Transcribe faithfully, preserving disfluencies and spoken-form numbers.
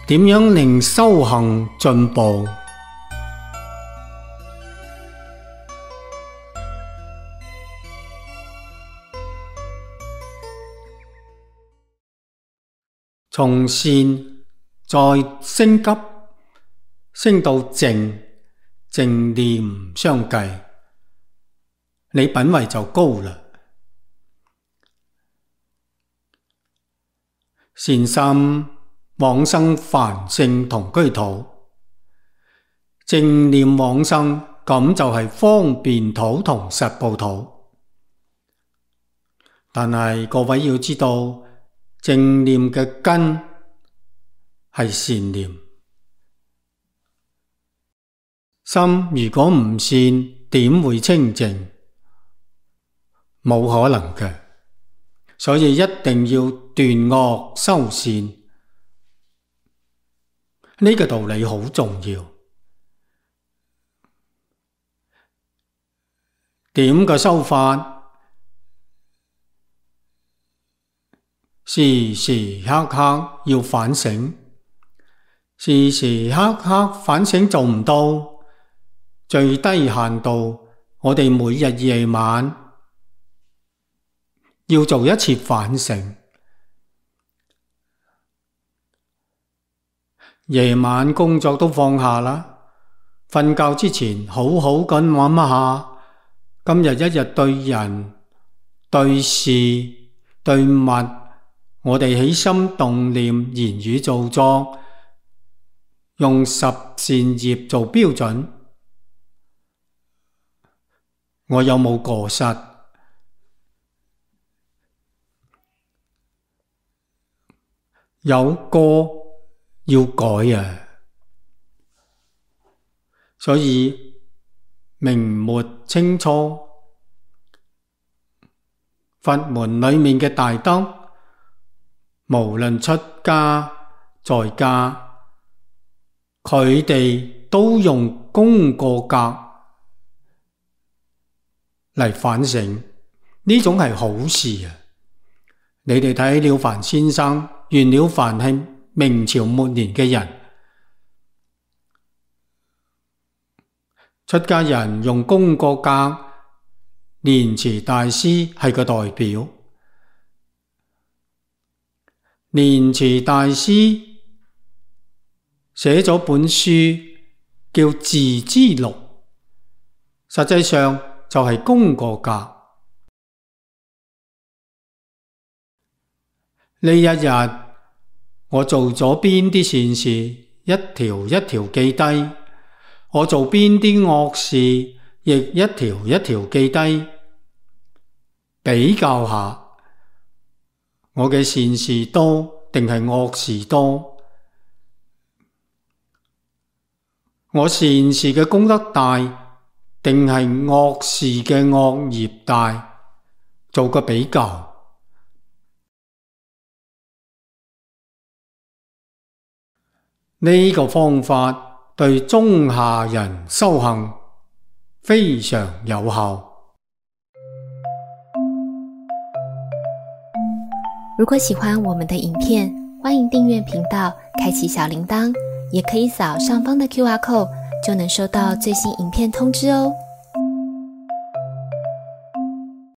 點樣令修行進步？從善再升級，升到正，正念相繼，你品位就高啦。善心往生凡聖同居土，正念往生咁就係方便土同實報土。但係各位要知道，正念嘅根係善念，心如果唔善，點會清淨？冇可能嘅，所以一定要斷惡修善，呢個道理好重要。點個修法？時時刻刻要反省，時時刻刻反省做唔到，最低限度我哋每日夜晚要做一次反省。夜晚工作都放下啦，瞓覺之前好好咁諗一下，今日一日對人、對事、對物，我哋起心動念、言語造作，用十善業做標準，我有冇過失？有過要改啊！所以明末清初佛門裏面嘅大德，無論出家在家，佢哋都用功過格嚟反省，呢種係好事啊！你哋睇了凡先生，袁了凡係明朝末年嘅人，出家人用功過格，蓮池大師係個代表。蓮池大師寫咗本書叫《自知錄》，實際上就係功過格。呢一日我做咗邊啲善事，一條一條記低；我做邊啲惡事，亦一條一條記低。比較下，我嘅善事多定係惡事多？我善事嘅功德大定係惡事嘅惡業大？做個比較。呢個方法對中下人修行非常有效。如果喜歡我們的影片，歡迎訂閱頻道，開啟小鈴鐺，也可以掃上方的 Q R code，就能收到最新影片通知哦。